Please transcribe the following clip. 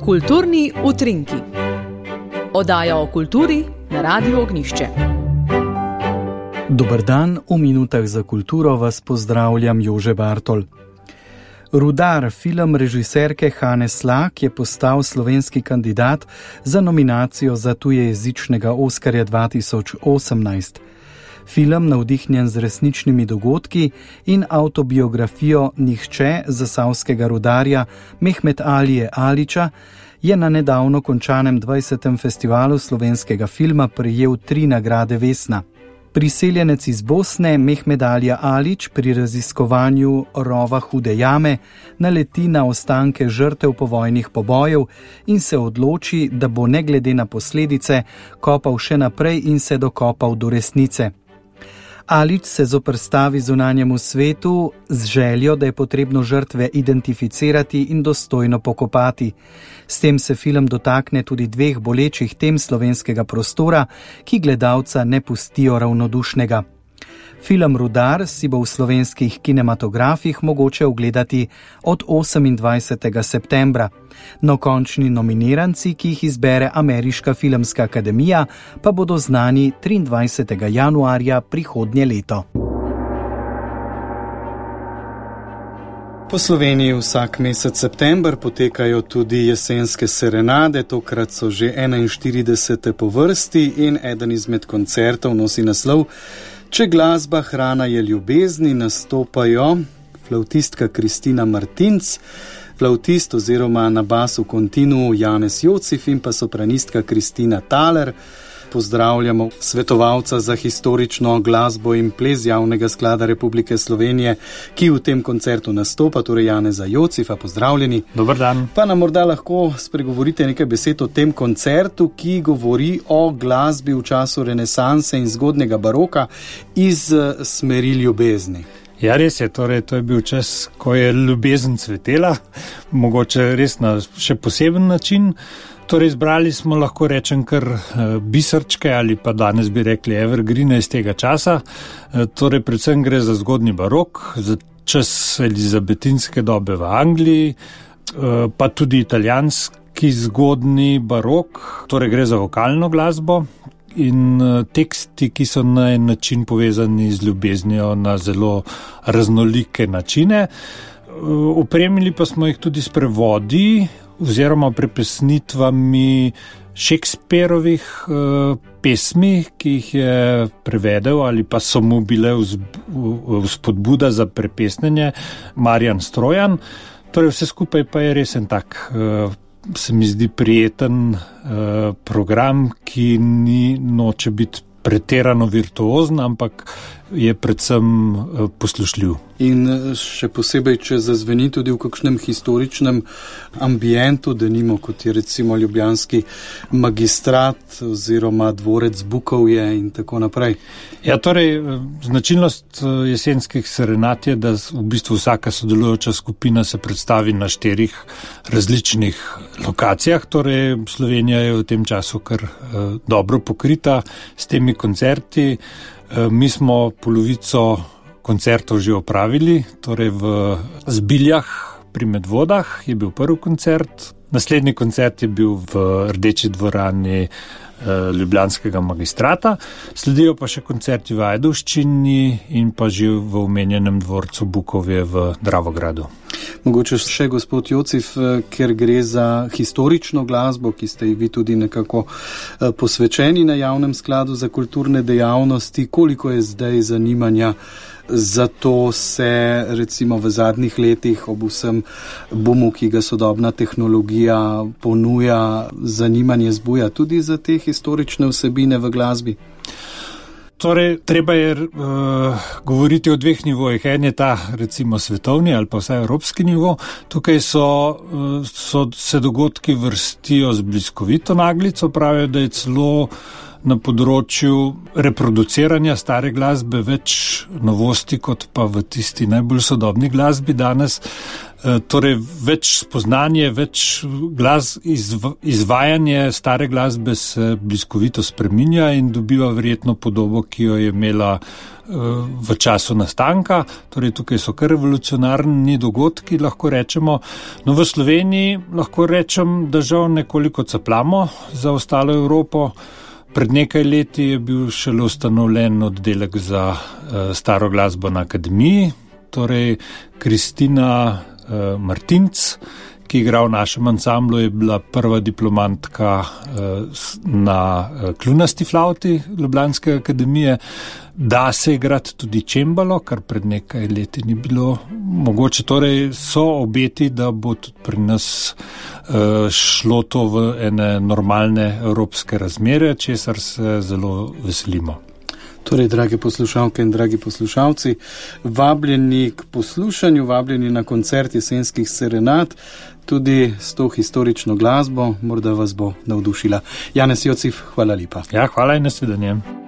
Kulturni utrinki. Oddaja o kulturi na Radiu Ognjišče. Dober dan, v minutah za kulturo vas pozdravljam Jože Bartol. Rudar, film režiserke Hane Slak, je postal slovenski kandidat za nominacijo za tujejezičnega Oskarja 2018. Film, navdihnjen z resničnimi dogodki in avtobiografijo Nihče zasavskega rudarja Mehmet Alije Alića, je na nedavno končanem 20. festivalu slovenskega filma prejel 3 nagrade Vesna. Priseljenec iz Bosne Mehmet Alija Alić pri raziskovanju rova Hude jame naleti na ostanke žrtev povojnih pobojev in se odloči, da bo ne glede na posledice kopal še naprej in se dokopal do resnice. Alić se zoperstavi zunanjemu svetu z željo, da je potrebno žrtve identificirati in dostojno pokopati. S tem se film dotakne tudi 2 bolečih tem slovenskega prostora, ki gledalca ne pustijo ravnodušnega. Film Rudar si bo v slovenskih kinematografih mogoče ogledati od 28. septembra. No, končni nominiranci, ki jih izbere Ameriška filmska akademija, pa bodo znani 23. januarja prihodnje leto. Po Sloveniji vsak mesec september potekajo tudi jesenske serenade, tokrat so že 41. po vrsti in eden izmed koncertov nosi naslov Če glasba hrana je ljubezni. Nastopajo flavtistka Kristina Martinc, flavtist oziroma na basu kontinu Janez Jocif in pa sopranistka Kristina Thaler. Pozdravljamo svetovalca za historično glasbo in ples Javnega sklada Republike Slovenije, ki v tem koncertu nastopa, torej Janeza Jocifa. Pozdravljeni. Dober dan. Pa nam morda lahko spregovorite nekaj besed o tem koncertu, ki govori o glasbi v času renesanse in zgodnjega baroka iz smeri ljubezni. Ja, res je, torej to je bil čas, ko je ljubezen cvetela, mogoče res na še poseben način. Torej izbrali smo, lahko rečem, kar biserčke ali pa danes bi rekli evergrine iz tega časa. Torej predvsem gre za zgodnji barok, za čas elizabetinske dobe v Angliji, pa tudi italijanski zgodnji barok, torej gre za vokalno glasbo in teksti, ki so na en način povezani z ljubeznijo na zelo raznolike načine. Opremili pa smo jih tudi s prevodi oziroma prepesnitvami Shakespearovih pesmi, ki jih je prevedel ali pa so mu bile vzpodbuda za prepesnenje Marjan Strojan. Torej vse skupaj pa je res en tak, se mi zdi, prijeten program, ki noče biti pretirano virtuozen, ampak je predvsem poslušljiv. In še posebej, če zazveni tudi v kakšnem historičnem ambientu, denimo kot je recimo ljubljanski magistrat oziroma dvorec Bukovje in tako naprej. Ja, torej, značilnost jesenskih serenad je, da v bistvu vsaka sodelujoča skupina se predstavi na 4 različnih lokacijah, torej Slovenija je v tem času kar dobro pokrita s temi koncerti. Mi smo polovico koncertov že opravili, torej v Zbiljah pri Medvodah je bil prvi koncert, naslednji koncert je bil v Rdeči dvorani ljubljanskega magistrata, sledijo pa še koncerti v Ajdovščini in pa že v omenjenem dvorcu Bukovje v Dravogradu. Mogoče še gospod Jocif, ker gre za historično glasbo, ki ste vi tudi nekako posvečeni na Javnem skladu za kulturne dejavnosti, koliko je zdaj zanimanja zato se recimo v zadnjih letih ob vsem bumu, ki ga sodobna tehnologija ponuja, zanimanje zbuja tudi za te historične vsebine v glasbi? Torej, treba je govoriti o 2 nivojih. En je ta, recimo, svetovni ali pa vsaj evropski nivo. Tukaj se dogodki vrstijo z bliskovito naglico, pravijo, da je celo na področju reproduciranja stare glasbe več novosti kot pa v tisti najbolj sodobni glasbi danes. Torej več spoznanje, več izvajanje stare glasbe se bliskovito spreminja in dobiva verjetno podobo, ki jo je imela v času nastanka, torej tukaj so kar revolucionarni dogodki, lahko rečemo. No, v Sloveniji lahko rečem, da žal nekoliko capljamo za ostalo Evropo. Pred nekaj leti je bil šele ustanovljen oddelek za staro glasbo na akademiji, torej Kristina Martinc, ki igra v našem ansamblu, je bila prva diplomantka na kljunasti flavti Ljubljanske akademije. Da se igrati tudi čembalo, kar pred nekaj leti ni bilo mogoče. Torej so obeti, da bo tudi pri nas šlo to v ene normalne evropske razmere, česar se zelo veselimo. Torej, drage poslušalke in dragi poslušalci, vabljeni k poslušanju, vabljeni na koncert jesenskih serenad, tudi s to historično glasbo, morda vas bo navdušila. Janez Jocif, hvala lepa. Ja, hvala in nasvidenje.